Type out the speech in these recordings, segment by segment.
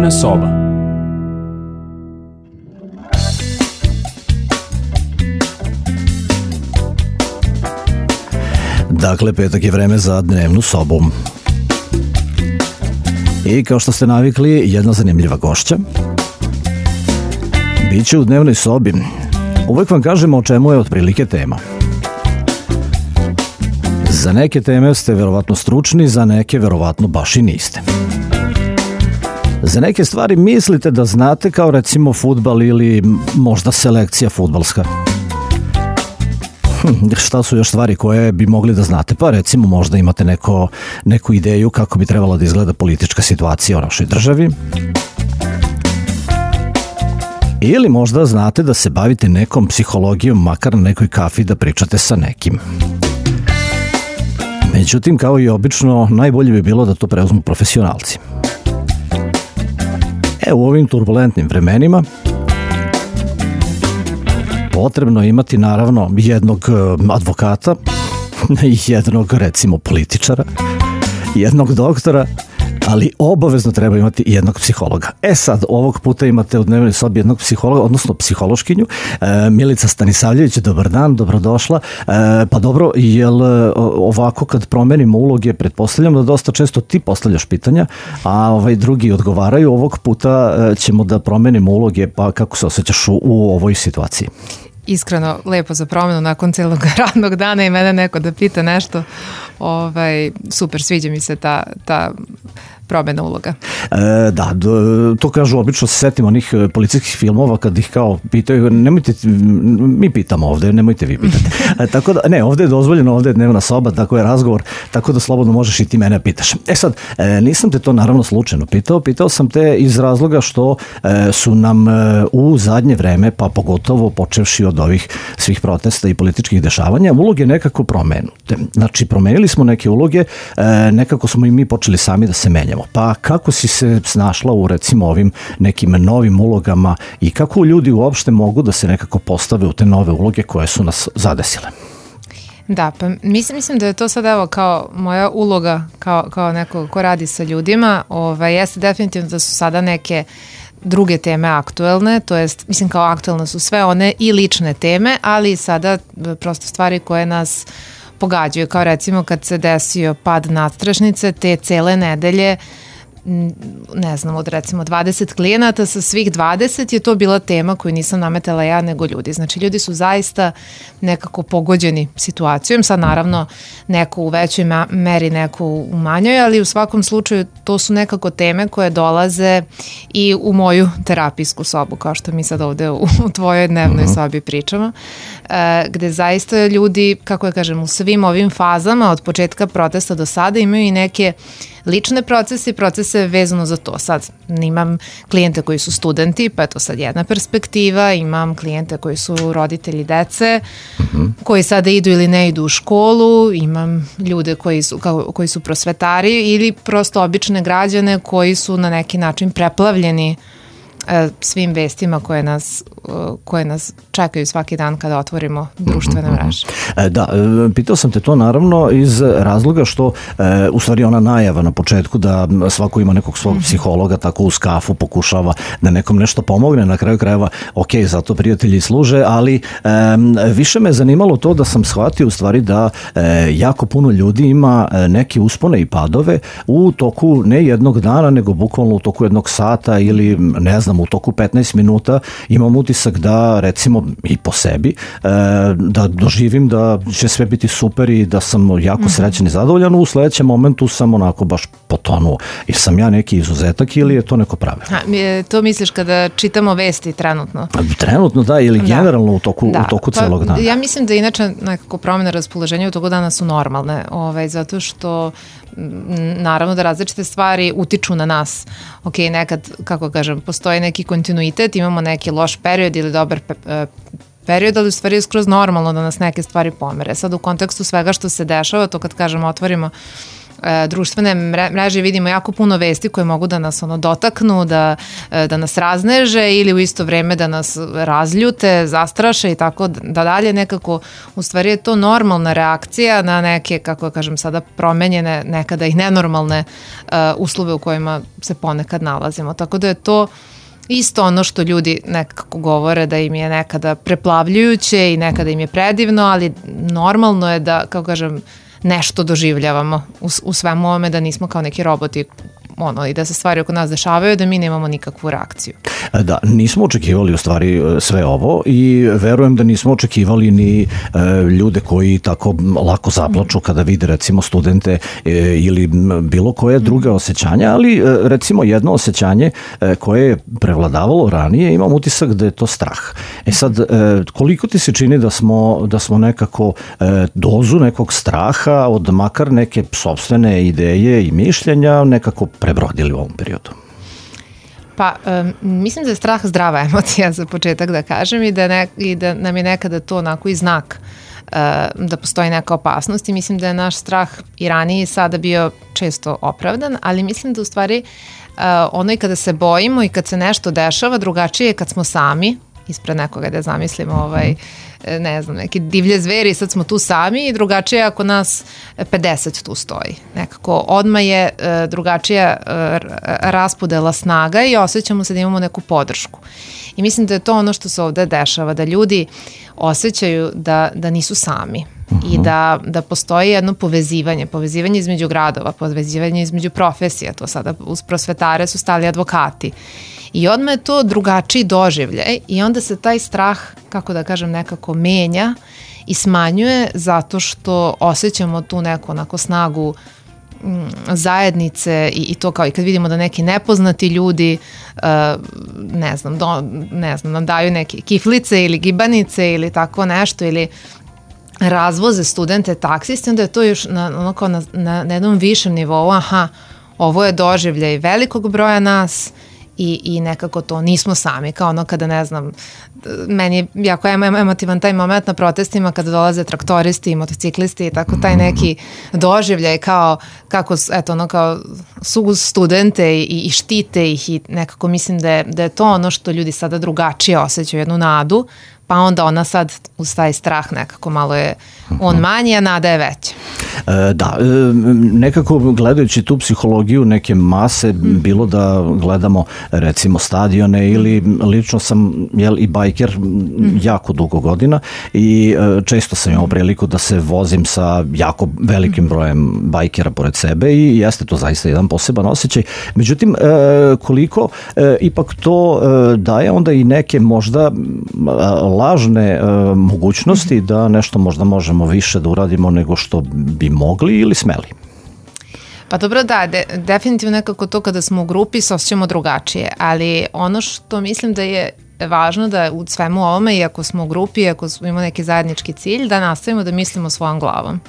Dnevna soba. Dakle, petak je vreme za dnevnu sobu. I kao što ste navikli, jedna zanimljiva gošća. Biće u dnevnoj sobi. Uvek vam kažemo o čemu je otprilike tema. Za neke teme ste verovatno stručni, za neke verovatno baš i niste. Za neke stvari mislite da znate, kao recimo fudbal ili možda selekcija fudbalska. Šta su još stvari koje bi mogli da znate? Pa recimo možda imate neku ideju kako bi trebalo da izgleda politička situacija u našoj državi. Ili možda znate da se bavite nekom psihologijom, makar na nekoj kafi da pričate sa nekim. Međutim, kao i obično, najbolje bi bilo da to preuzmu profesionalci. U ovim turbulentnim vremenima potrebno je imati naravno jednog advokata, jednog recimo političara, jednog doktora, ali obavezno treba imati jednog psihologa. Sad, ovog puta imate u dnevnoj sobi jednog psihologa, odnosno psihološkinju. Milica Stanisavljević, dobar dan, dobrodošla. Pa dobro, jel ovako kad promenimo uloge, pretpostavljam da dosta često ti postavljaš pitanja, a drugi odgovaraju. Ovog puta ćemo da promenimo uloge, pa kako se osjećaš u ovoj situaciji? Iskreno, lepo za promenu nakon celog radnog dana i mene neko da pita nešto. Super, sviđa mi se ta promena uloga. Da, to kažu, obično se setim onih policijskih filmova kad ih kao pitaju, nemojte, mi pitamo ovde, nemojte vi pitati. Tako da, ne, ovde je dozvoljeno, ovde je dnevna soba, tako je razgovor, tako da slobodno možeš i ti mene pitaš. Sad, nisam te to naravno slučajno pitao sam te iz razloga što su nam u zadnje vreme, pa pogotovo počevši od ovih svih protesta i političkih dešavanja, uloge nekako promenute. Znači, promenili smo neke uloge, nekako smo i mi počeli sami da se menjamo. Pa kako si se snašla u recimo ovim nekim novim ulogama i kako ljudi uopšte mogu da se nekako postave u te nove uloge koje su nas zadesile? Pa mislim da je to sad evo kao moja uloga kao neko ko radi sa ljudima, jeste definitivno da su sada neke druge teme aktuelne, to jest, mislim kao aktuelne su sve one i lične teme, ali sada prosto stvari koje nas pogađaju, kao recimo kad se desio pad nadstrešnice, te cele nedelje, ne znam, od recimo 20 klijenata, sa svih 20 je to bila tema koju nisam nametala ja nego ljudi. Znači ljudi su zaista nekako pogođeni situacijom, sad naravno neko u većoj meri, neko u manjoj, ali u svakom slučaju to su nekako teme koje dolaze i u moju terapijsku sobu, kao što mi sad ovde u tvojoj dnevnoj sobi pričamo, gde zaista ljudi, kako ja kažem, u svim ovim fazama od početka protesta do sada imaju i neke lične procese vezano za to. Sad imam klijente koji su studenti, pa je to sad jedna perspektiva, imam klijente koji su roditelji dece, koji sada idu ili ne idu u školu, imam ljude koji su prosvetari ili prosto obične građane koji su na neki način preplavljeni svim vestima koje nas čekaju svaki dan kada otvorimo društvene mreže. Da, pitao sam te to naravno iz razloga što u stvari ona najava na početku da svako ima nekog svog psihologa, tako uz kafu pokušava da nekom nešto pomogne, na kraju krajeva zato prijatelji služe, ali više me zanimalo to da sam shvatio u stvari da jako puno ljudi ima neke uspone i padove u toku ne jednog dana, nego bukvalno u toku jednog sata ili ne znam, u toku 15 minuta imam utisak da recimo i po sebi da doživim da će sve biti super i da sam jako srećan i zadovoljan, u sledećem momentu sam onako baš potonuo. I sam ja neki izuzetak ili je to neko pravilo? To misliš kada čitamo vesti trenutno? Trenutno da, ili generalno u toku celog dana? Ja mislim da inače nekako promjene raspoloženja u toku dana su normalne, zato što naravno da različite stvari utiču na nas. Nekad, kako kažem, postoji neki kontinuitet, imamo neki loš period ili dobar period, ali u stvari je skroz normalno da nas neke stvari pomere. Sad u kontekstu svega što se dešava, to kad kažem otvorimo društvene mreže vidimo jako puno vesti koje mogu da nas dotaknu, da nas razneže ili u isto vreme da nas razljute, zastraše i tako da dalje. Nekako u stvari je to normalna reakcija na neke, kako kažem sada, promenjene, nekada i nenormalne uslove u kojima se ponekad nalazimo. Tako da je to isto ono što ljudi nekako govore da im je nekada preplavljujuće i nekada im je predivno, ali normalno je da, kako kažem, nešto doživljavamo u svemu ovome, da nismo kao neki roboti i da se stvari oko nas dešavaju, da mi nemamo nikakvu reakciju. Da, nismo očekivali u stvari sve ovo i verujem da nismo očekivali ni ljude koji tako lako zaplaču kada vide recimo studente ili bilo koje druge osjećanja, ali recimo jedno osjećanje koje je prevladavalo ranije, imam utisak da je to strah. Sad, koliko ti se čini da smo nekako dozu nekog straha od makar neke sopstvene ideje i mišljenja nekako prebrodili u ovom periodu? Pa, mislim da je strah zdrava emocija za početak da kažem i da nam je nekada to onako i znak da postoji neka opasnost i mislim da je naš strah i ranije i sada bio često opravdan, ali mislim da u stvari ono i kada se bojimo i kad se nešto dešava, drugačije je kad smo sami, ispred nekoga da zamislimo ne znam, neke divlje zveri, sad smo tu sami i drugačije ako nas 50 tu stoji. Nekako odmah je drugačija raspodela snaga i osjećamo se da imamo neku podršku. I mislim da je to ono što se ovde dešava, da ljudi osjećaju da nisu sami i da postoji jedno povezivanje između gradova, povezivanje između profesija, to sada uz prosvetare su stali advokati. I odmah je to drugačiji doživljaj i onda se taj strah, kako da kažem, nekako menja i smanjuje zato što osjećamo tu neku onako snagu zajednice i to kao i kad vidimo da neki nepoznati ljudi ne znam, nam daju neke kiflice ili gibanice ili tako nešto ili razvoze studente taksisti, onda je to još na jednom višem nivou, ovo je doživljaj velikog broja nas i nekako to nismo sami, kao ono kada ne znam, meni je jako emotivan taj moment na protestima kada dolaze traktoristi i motociklisti i tako taj neki doživljaj kako su studente i štite ih i nekako mislim da je to ono što ljudi sada drugačije osjećaju, jednu nadu, pa onda ona sad uz taj strah nekako malo je on manji, a nada je veća. Da, nekako gledajući tu psihologiju neke mase, bilo da gledamo recimo stadione ili lično sam i bajker jako dugo godina i često sam imao priliku da se vozim sa jako velikim brojem bajkera pored sebe i jeste to zaista jedan poseban osjećaj. Međutim, koliko ipak to daje onda i neke možda lažne mogućnosti da nešto možda možemo više da uradimo nego što bi mogli ili smeli? Pa dobro, da, definitivno nekako to kada smo u grupi se osjećamo drugačije, ali ono što mislim da je važno da u svemu ovome, i ako smo u grupi, i ako imamo neki zajednički cilj, da nastavimo da mislimo svojom glavom.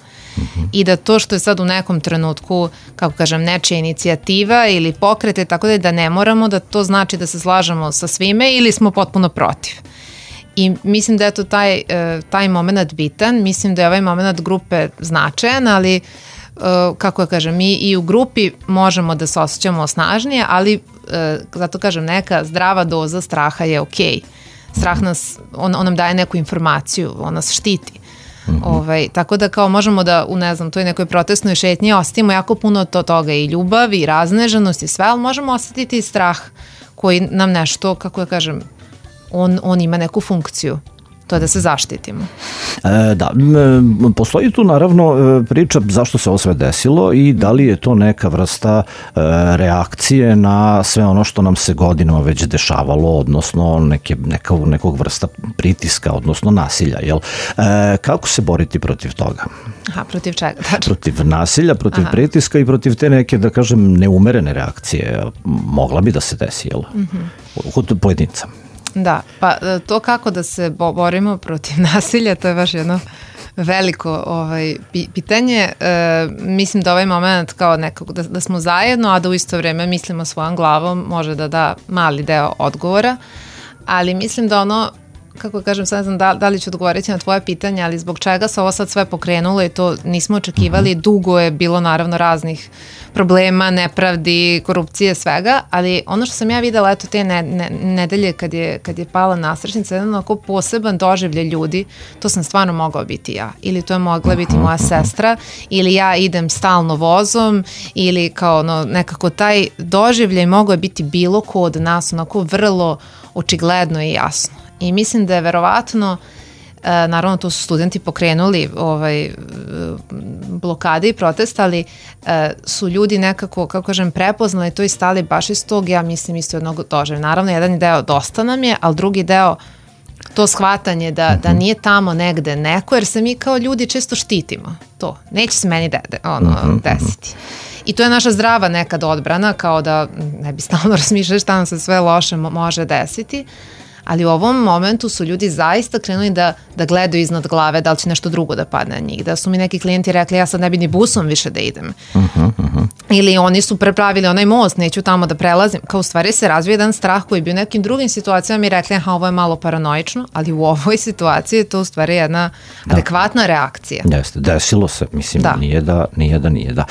I da to što je sad u nekom trenutku, kako kažem, nečija inicijativa ili pokrete, tako da ne moramo da to znači da se slažemo sa svime ili smo potpuno protiv. I mislim da je to taj moment bitan, mislim da je ovaj moment grupe značajan, ali kako ja kažem, mi i u grupi možemo da se osjećamo snažnije, ali zato kažem, neka zdrava doza straha je okej. Strah nas, on nam daje neku informaciju, on nas štiti. Tako da kao možemo da u toj nekoj protestnoj šetnji osjetimo jako puno toga i ljubav i razneženost i sve, ali možemo osjetiti i strah koji nam nešto, kako ja kažem, on ima neku funkciju. To je da se zaštitimo. Da, postoji tu naravno priča zašto se ovo sve desilo i da li je to neka vrsta reakcije na sve ono što nam se godinama već dešavalo, odnosno nekog vrsta pritiska, odnosno nasilja. Jel? Kako se boriti protiv toga? Protiv čega? Protiv nasilja, protiv pritiska i protiv te neke, da kažem, neumerene reakcije. Mogla bi da se desi, jel? Kod pojedinca. Da, pa to kako da se borimo protiv nasilja, to je baš jedno veliko pitanje. Mislim da ovaj moment kao nekako da smo zajedno, a da u isto vreme mislimo svojom glavom može da da mali deo odgovora, ali mislim da ono kako kažem, sad ne znam da li ću odgovoriti na tvoje pitanje, ali zbog čega se ovo sad sve pokrenulo i to nismo očekivali, dugo je bilo naravno raznih problema, nepravdi, korupcije, svega, ali ono što sam ja videla, eto te nedelje kad je pala nasrećnica, jedan onako poseban doživljaj ljudi, to sam stvarno mogao biti ja, ili to je mogla biti moja sestra, ili ja idem stalno vozom, ili kao nekako taj doživljaj mogao biti bilo ko od nas, onako vrlo očigledno i jasno. I mislim da je verovatno, naravno to su studenti pokrenuli blokade i protest, ali su ljudi nekako, kako kažem, prepoznali to i stali baš iz tog, ja mislim, isto jednog doživljaja. Naravno, jedan deo dosta nam je, ali drugi deo to shvatanje da nije tamo negde neko, jer se mi kao ljudi često štitimo. To, neće se meni desiti. I to je naša zdrava nekad odbrana, kao da ne bi stalno razmišljali šta nam se sve loše može desiti, ali u ovom momentu su ljudi zaista krenuli da gledaju iznad glave da li će nešto drugo da padne na njih. Da su mi neki klijenti rekli ja sad ne bi ni busom više da idem. Ili oni su prepravili onaj most, neću tamo da prelazim. Kao u stvari se razvije jedan strah koji bi u nekim drugim situacijama i rekli ovo je malo paranoično, ali u ovoj situaciji je to u stvari jedna adekvatna reakcija. Jeste, desilo se, mislim, nije da.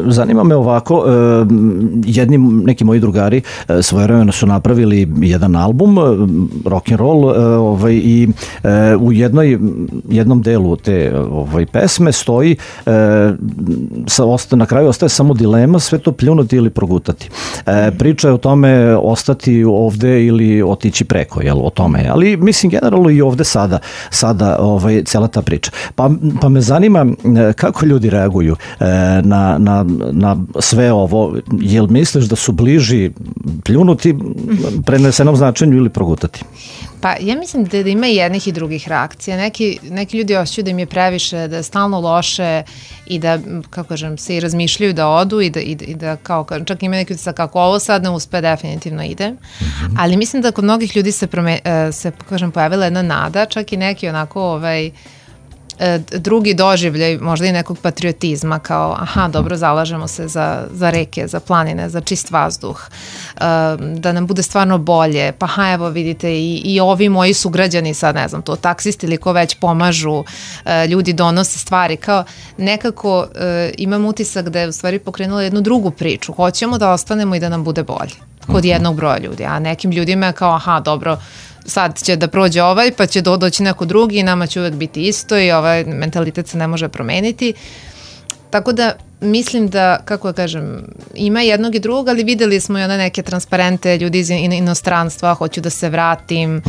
Zanima me ovako, neki moji drugari svojevremeno su napravili jedan album, rock and roll, i u jednom delu te pesme stoji na kraju ostaje samo dilema, sve to pljunuti ili progutati. Priča je o tome ostati ovde ili otići preko, o tome. Ali mislim generalno i ovde sada cela ta priča. Pa me zanima kako ljudi reaguju na sve ovo. Jel misliš da su bliži pljunuti prenesenom značenju ili progutati? Pa ja mislim da ima i jednih i drugih reakcija. Neki ljudi osjećaju da im je previše, da je stalno loše i da, kako kažem, se i razmišljaju da odu i da kao, čak ima neki utisak kako ovo sad ne uspe, definitivno ide. Ali mislim da kod mnogih ljudi se pojavila jedna nada, čak i neki onako drugi doživljaj, možda i nekog patriotizma, kao dobro, zalažemo se za reke, za planine, za čist vazduh, da nam bude stvarno bolje, pa evo vidite i ovi moji sugrađani sad, ne znam, to taksisti ili ko već pomažu, ljudi donose stvari, kao nekako imam utisak da je u stvari pokrenula jednu drugu priču, hoćemo da ostanemo i da nam bude bolje kod jednog broja ljudi, a nekim ljudima je kao dobro, sad će da prođe pa će doći neko drugi i nama će uvek biti isto i ovaj mentalitet se ne može promeniti. Tako da mislim da, kako da kažem, ima jednog i drugog, ali videli smo i one neke transparente, ljudi iz inostranstva, hoću da se vratim,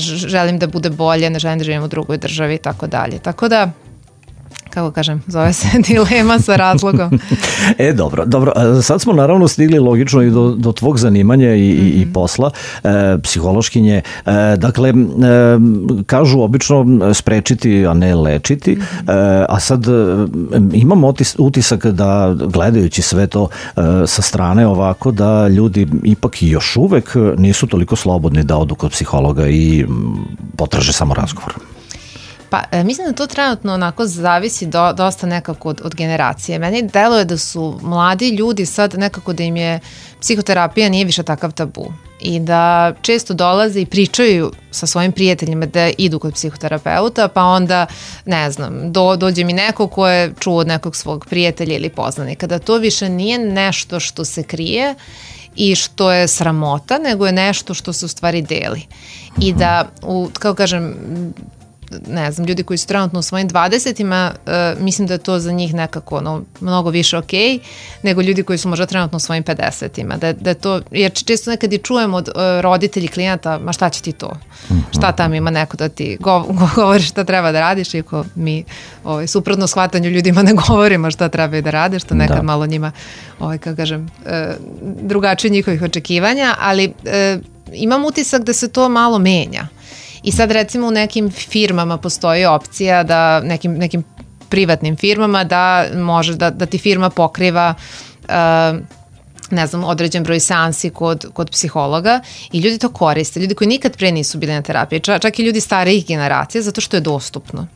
želim da bude bolje, ne želim da živim u drugoj državi i tako dalje. Tako da, kako kažem, zove se dilema sa razlogom. Dobro. Sad smo naravno stigli logično i do tvog zanimanja i posla, psihološkinje. Dakle, kažu obično sprečiti, a ne lečiti, a sad imam utisak da gledajući sve to sa strane ovako, da ljudi ipak i još uvek nisu toliko slobodni da odu kod psihologa i potraže samo razgovor. Pa mislim da to trenutno onako zavisi dosta nekako od generacije. Meni deluje da su mladi ljudi sad nekako da im je psihoterapija nije više takav tabu i da često dolaze i pričaju sa svojim prijateljima da idu kod psihoterapeuta, pa onda, ne znam, dođe mi neko ko je čuo od nekog svog prijatelja ili poznanika, da to više nije nešto što se krije i što je sramota, nego je nešto što se u stvari deli. I da, kako kažem, ne znam, ljudi koji su trenutno u svojim 20-ima, mislim da je to za njih nekako mnogo više okej, nego ljudi koji su možda trenutno u svojim 50-ima. Da je to, jer često nekad i čujem od roditelji klijenata, ma šta će ti to? Šta tam ima neko da ti govori šta treba da radiš, iako mi suprotno shvatanju ljudima ne govorimo šta treba da rade, što nekad malo njima, kako kažem, drugačije njihovih očekivanja, ali imam utisak da se to malo menja. I sad recimo u nekim firmama postoji opcija da nekim privatnim firmama da može da ti firma pokriva ne znam, određen broj seansi kod psihologa i ljudi to koriste, ljudi koji nikad pre nisu bili na terapiji, čak i ljudi starijih generacija, zato što je dostupno.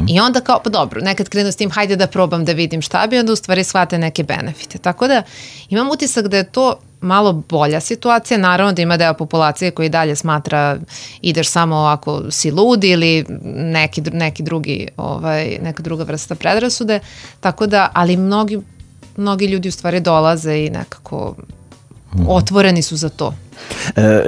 I onda kao, pa dobro, nekad krenu s tim, hajde da probam da vidim šta bi, onda u stvari shvate neke benefite. Tako da imam utisak da je to malo bolja situacija, naravno da ima deo populacije koji dalje smatra ideš samo ako si lud ili neki drugi, neka druga vrsta predrasude, tako da, ali mnogi ljudi u stvari dolaze i nekako otvoreni su za to.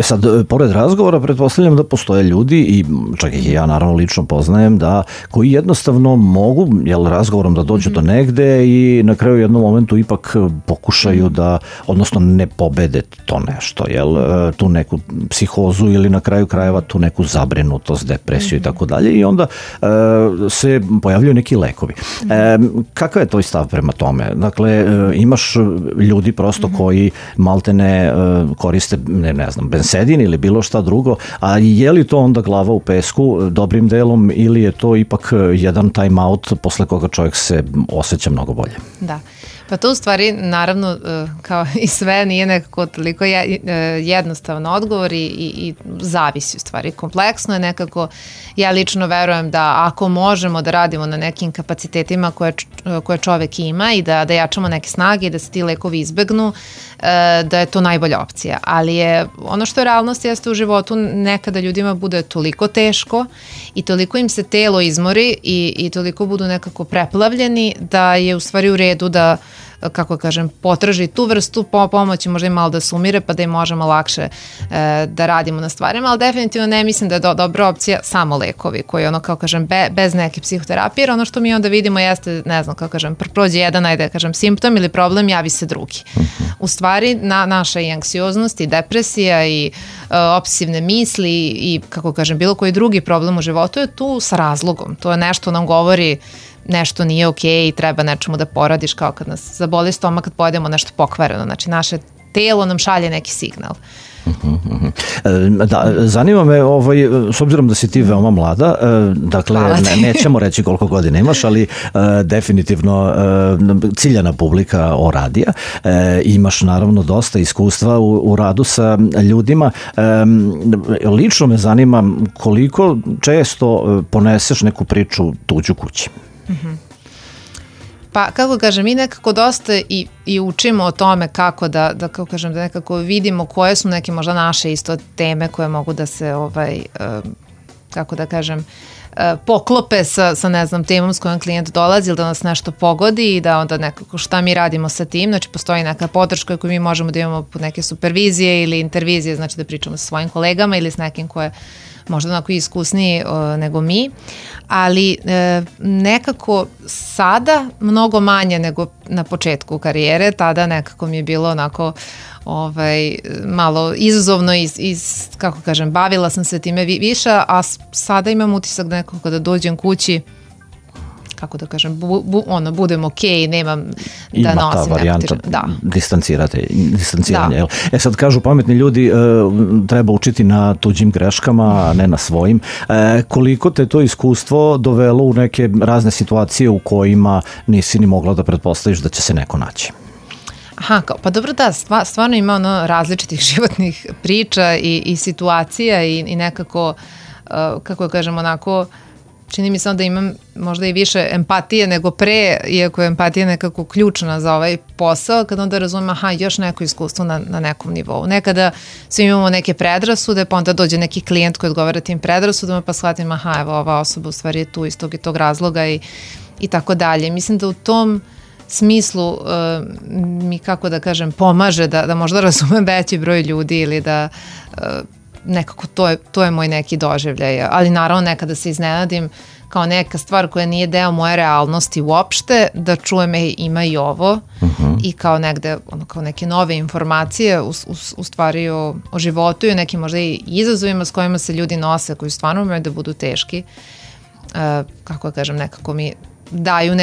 Sad, pored razgovora, pretpostavljam da postoje ljudi, i čak i ja naravno lično poznajem, da koji jednostavno mogu razgovorom da dođu do negde i na kraju jednom momentu ipak pokušaju da, odnosno ne pobede to nešto, tu neku psihozu ili na kraju krajeva tu neku zabrinutost, depresiju i tako dalje, i onda se pojavljaju neki lekovi. Kakav je tvoj stav prema tome? Dakle, imaš ljudi prosto koji maltene koriste ne znam, bensedin ili bilo šta drugo, a je li to onda glava u pesku dobrim delom ili je to ipak jedan time out posle koga čovjek se osjeća mnogo bolje? Da. Pa to u stvari, naravno, kao i sve, nije nekako toliko jednostavno odgovor i zavisi u stvari. Kompleksno je nekako, ja lično verujem da ako možemo da radimo na nekim kapacitetima koje čovek ima i da jačamo neke snage i da se ti lekovi izbegnu, da je to najbolja opcija. Ali je, ono što je realnost jeste u životu, nekada ljudima bude toliko teško i toliko im se telo izmori i toliko budu nekako preplavljeni da je u stvari u redu da, kako kažem, potraži tu vrstu pomoći, možda i malo da se umire pa da im možemo lakše da radimo na stvarima, ali definitivno ne mislim da je dobra opcija samo lekovi koji kao kažem bez neke psihoterapije, jer ono što mi onda vidimo jeste, ne znam, kako kažem, prođe jedan, ajde kažem, simptom ili problem, javi se drugi. U stvari naša i anksioznost i depresija i obsesivne misli i, kako kažem, bilo koji drugi problem u životu je tu sa razlogom. To je nešto nam govori nešto nije okej i treba nečemu da poradiš, kao kad nas zaboli stomak kad pojedemo nešto pokvareno. Znači, naše telo nam šalje neki signal. Da, zanima me, s obzirom da si ti veoma mlada, dakle, nećemo reći koliko godina imaš, ali definitivno ciljana publika o radija, imaš naravno dosta iskustva u radu sa ljudima. Lično me zanima koliko često poneseš neku priču tuđu kući. Pa, kako kažem, mi nekako dosta i učimo o tome kako da kako kažem, da nekako vidimo koje su neke možda naše isto teme koje mogu da se, kako da kažem, poklope sa ne znam, temom s kojom klijent dolazi ili da nas nešto pogodi i da onda nekako šta mi radimo sa tim, znači postoji neka podrška koju mi možemo da imamo pod neke supervizije ili intervizije, znači da pričamo sa svojim kolegama ili s nekim ko je možda onako iskusniji nego mi, ali nekako sada mnogo manje nego na početku karijere, tada nekako mi je bilo onako malo izazovno kako kažem, bavila sam se time više, a sada imam utisak da nekako kada dođem kući, kako da kažem, budem okej, nemam da nosim. Ima ta varijanta distanciranja. Sad kažu pametni ljudi, treba učiti na tuđim greškama, a ne na svojim. Koliko te to iskustvo dovelo u neke razne situacije u kojima nisi ni mogla da pretpostaviš da će se neko naći? Aha, pa dobro, da, stvarno ima različitih životnih priča i situacija i nekako, kako da kažem, onako, čini mi se da imam možda i više empatije nego pre, iako je empatija nekako ključna za ovaj posao, kada onda razumem, još neko iskustvo na nekom nivou. Nekada svi imamo neke predrasude, pa onda dođe neki klijent koji odgovara tim predrasudama, pa shvatim, evo, ova osoba u stvari je tu iz tog i tog razloga i tako dalje. Mislim da u tom smislu mi, kako da kažem, pomaže da možda razumem veći broj ljudi ili da nekako to je moj neki doživljaj, ali naravno nekada se iznenadim kao neka stvar koja nije deo moje realnosti uopšte, da čujem ima i ovo i kao negde, kao neke nove informacije u stvari o životu i o nekim možda i izazovima s kojima se ljudi nose, koji stvarno umaju da budu teški. Kako da kažem, nekako mi daju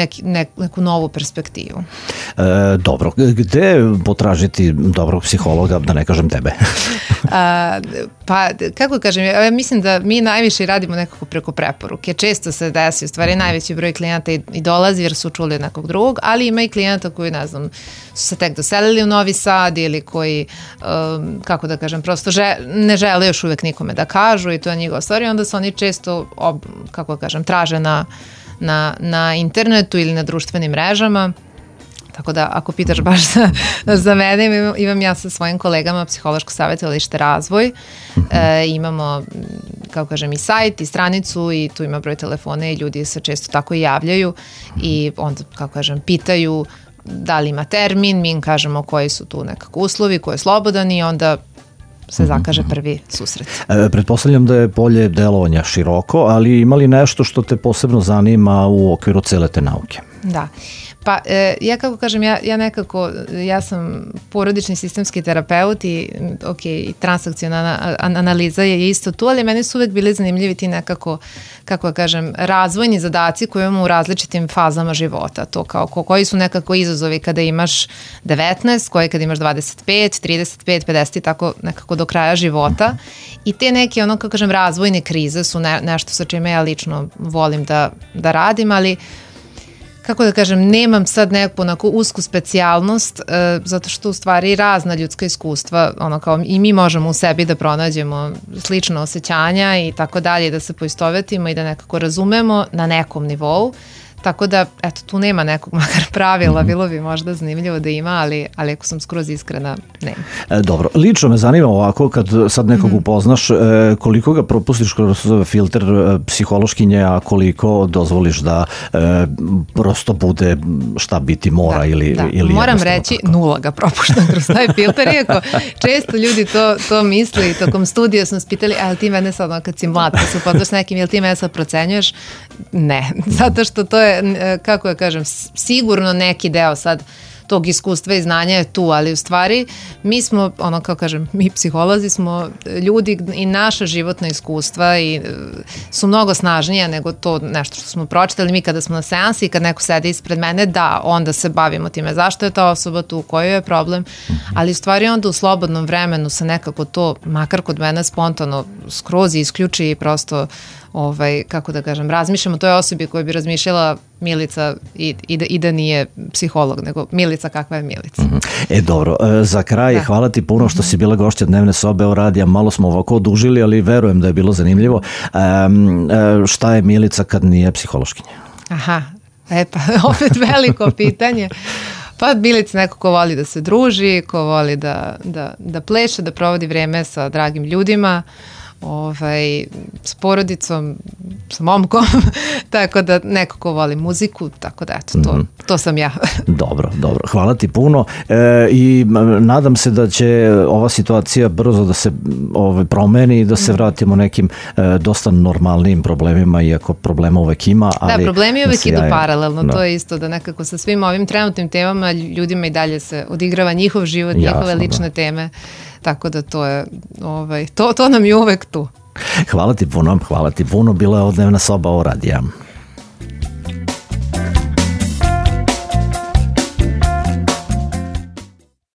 neku novu perspektivu. Dobro, gde potražiti dobrog psihologa, da ne kažem tebe? Pa, kako kažem, ja mislim da mi najviše radimo nekako preko preporuke. Često se desi, u stvari najveći broj klijenata i dolazi jer su čuli nekog drugog, ali ima i klijenata koji, ne znam, su se tek doselili u Novi Sad ili koji, kako da kažem, prosto ne žele još uvek nikome da kažu i to je njegova stvar i onda se oni često, kako da kažem, traže na internetu ili na društvenim mrežama. Tako da, ako pitaš baš za mene, imam ja sa svojim kolegama Psihološko savjetovalište Razvoj. Imamo, kako kažem, i sajt i stranicu i tu ima broj telefona i ljudi se često tako i javljaju i onda, kako kažem, pitaju da li ima termin, mi im kažemo koji su tu nekako uslovi, ko je slobodan i onda se zakaže prvi susret. Pretpostavljam da je polje delovanja široko, ali ima li nešto što te posebno zanima u okviru cele te nauke? Da. Pa ja kako kažem, ja sam porodični sistemski terapeut i i transakcionalna analiza je isto tu, ali meni su uvek bili zanimljivi ti nekako, kako kažem, razvojni zadaci koje imamo u različitim fazama života. To kao koji su nekako izazovi kada imaš 19, koji kada imaš 25, 35, 50 i tako nekako do kraja života. I te neke, kako kažem, razvojne krize su nešto sa čime ja lično volim da radim, ali kako da kažem, nemam sad neku onako usku specijalnost, zato što u stvari razna ljudska iskustva, kao i mi možemo u sebi da pronađemo slična osjećanja i tako dalje, da se poistovetimo i da nekako razumemo na nekom nivou. Tako da, eto, tu nema nekog makar pravila, bilo bi možda zanimljivo da ima, ali ako sam skroz iskrena, nema. Dobro, lično me zanima ovako, kad sad nekog upoznaš, koliko ga propustiš kroz filter psihološkinje, a koliko dozvoliš da prosto bude šta biti mora ili moram reći, tako. 0 ga propuštam kroz taj filter, iako često ljudi to misli, tokom studija sam spitali, ali ti mene sad, kad si mlad, kad se upoznaš s nekim, jel ti mene sad procenjuješ? Ne, zato što to je, kako ja kažem, sigurno neki deo sad tog iskustva i znanja je tu, ali u stvari mi smo, kako kažem, mi psiholozi smo ljudi i naša životna iskustva i su mnogo snažnija nego to nešto što smo pročitali. Mi kada smo na seansi i kad neko sedi ispred mene, da, onda se bavimo time zašto je ta osoba tu, koji je problem, ali u stvari onda u slobodnom vremenu se nekako to, makar kod mene spontano, skroz isključi i prosto kako da kažem, razmišljam o toj osobi koja bi razmišljala Milica i da nije psiholog, nego Milica kakva je Milica. Dobro, za kraj, hvala ti puno što si bila gošća Dnevne sobe o radija, malo smo ovako odužili, ali verujem da je bilo zanimljivo. Šta je Milica kad nije psihološkinja? Aha, pa opet veliko pitanje. Pa Milica neko ko voli da se druži, ko voli da pleše, da provodi vreme sa dragim ljudima, s porodicom, sa momkom, tako da neko ko voli muziku, tako da eto, to sam ja. Dobro, hvala ti puno i nadam se da će ova situacija brzo da se promeni i da se vratimo nekim dosta normalnim problemima, iako problema uvek ima. Da, problemi uvek idu paralelno, to je isto da nekako sa svim ovim trenutnim temama ljudima i dalje se odigrava njihov život, njihove lične teme. Tako da to je, to nam je uvek tu. Hvala ti puno, bila je Dnevna soba o radija.